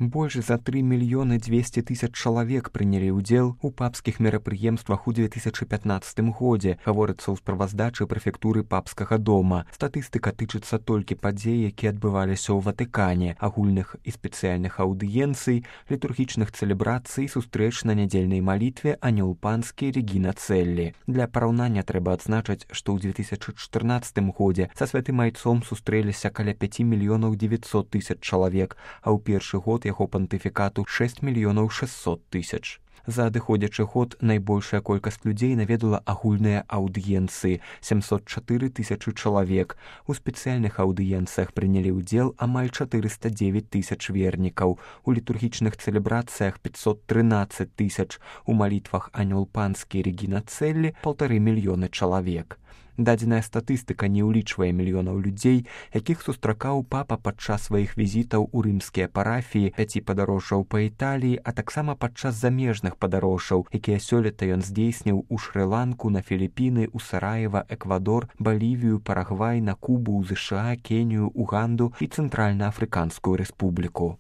Больш за 3 мільёны 200 тысяч чалавек прынялі ўдзел у папскіх мерапрыемствах у 2015 годзе, гаворыцца ў справаздачы прэфектуры папскага дома. Статыстыка тычыцца толькі падзей, якія адбываліся ў Ватыкане, агульных і спецыяльных аўдыенцый, літургічных цэлебрацый, сустрэч на нядзельнай малітве «Анёл панскі» Регіна Целлі. Для параўнання трэба адзначыць, што ў 2014 годзе са святым айцом сустрэліся каля 5 мільёнаў 900 тысяч чалавек, а ў першы год яго пантыфікату 6 мільёнаў 600 тысяч. За адыходзячы год найбольшая колькасць людзей наведала агульныя аўдыенцыі – 704 тысячы чалавек. У спецыяльных аўдыенцыях прынялі ўдзел амаль 409 тысяч вернікаў, у літургічных цэлебрацыях 513 тысяч, у малітвах «Анёл панскі» Регіна Целлі 1,5 мільёны чалавек. Дадзеная статыстыка не ўлічвае мільёнаў людзей, якіх сустракаў папа падчас сваіх візітаў у рымскія парафіі, 5 падарожжаў па Італіі, а таксама падчас замежных падарожжаў, якія сёлета ён здзейсніў у Шры-Ланку, на Філіпіны, у Сараева, Эквадор, Балівію, Парагвай, на Кубу, у ЗША, Кенію, Уганду і Цэнтральна-Афрыканскую рэспубліку.